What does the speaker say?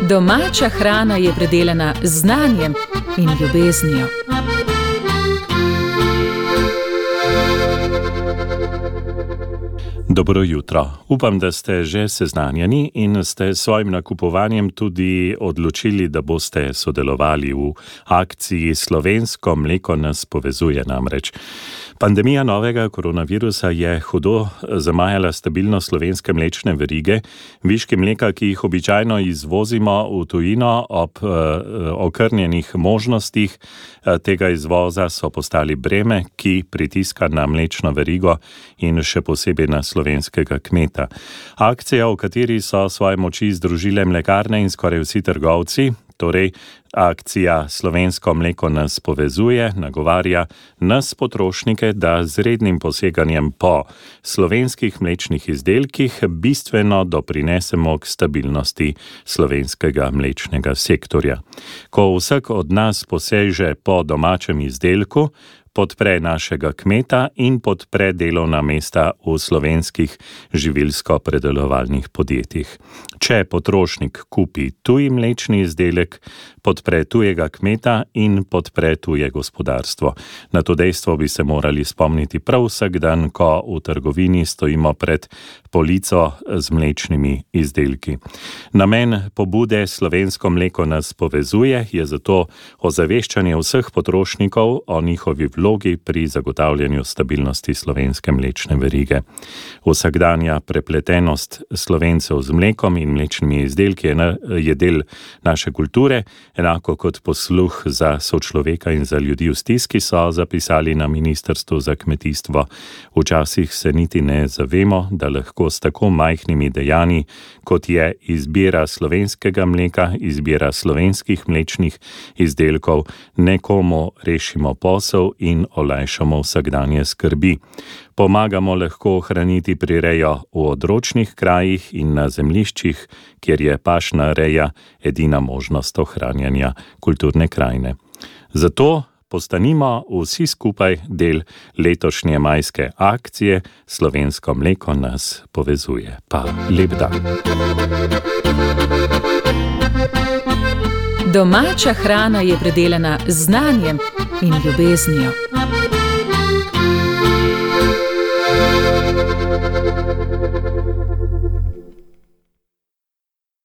Domača hrana je predelana z znanjem in ljubeznijo. Dobro jutro. Upam, da ste že seznanjeni in ste s svojim nakupovanjem tudi odločili, da boste sodelovali v akciji Slovensko mleko nas povezuje namreč. Pandemija novega koronavirusa je hudo zamajala stabilnost slovenske mlečne verige. Viški mleka, ki jih običajno izvozimo v tujino ob okrnjenih možnostih tega izvoza, so postali breme, ki pritiska na mlečno verigo in še posebej na slovenskega kmeta. Akcija, v kateri so svoje moči združile mlekarne in skoraj vsi trgovci, torej akcija Slovensko mleko nas povezuje, nagovarja nas potrošnike, da z rednim poseganjem po slovenskih mlečnih izdelkih bistveno doprinesemo k stabilnosti slovenskega mlečnega sektorja. Ko vsak od nas poseže po domačem izdelku, podpre našega kmeta in podpre delovna mesta v slovenskih živilsko-predelovalnih podjetjih. Če potrošnik kupi tuji mlečni izdelek, podpre tujega kmeta in podpre tuje gospodarstvo. Na to dejstvo bi se morali spomniti prav vsak dan, ko v trgovini stojimo pred polico z mlečnimi izdelki. Namen pobude Slovensko mleko nas povezuje je zato ozaveščanje vseh potrošnikov o njihovi vlogi pri zagotavljanju stabilnosti slovenske mlečne verige. Vsakdanja prepletenost Slovencev z mlekom in mlečnimi izdelki je del naše kulture, enako kot posluh za sočloveka in za ljudi v stiski, so zapisali na Ministrstvu za kmetijstvo. Včasih se niti ne zavemo, da lahko s tako majhnimi dejanji, kot je izbira slovenskega mleka, izbira slovenskih mlečnih izdelkov, nekomu rešimo posel in olajšamo vsakdanje skrbi. Pomagamo lahko ohraniti prirejo v odročnih krajih in na zemljiščih, kjer je pašna reja edina možnost ohranjanja kulturne krajine. Zato postanimo vsi skupaj del letošnje majske akcije Slovensko mleko nas povezuje. Pa lep dan. Domača hrana je predelana z znanjem in ljubeznijo.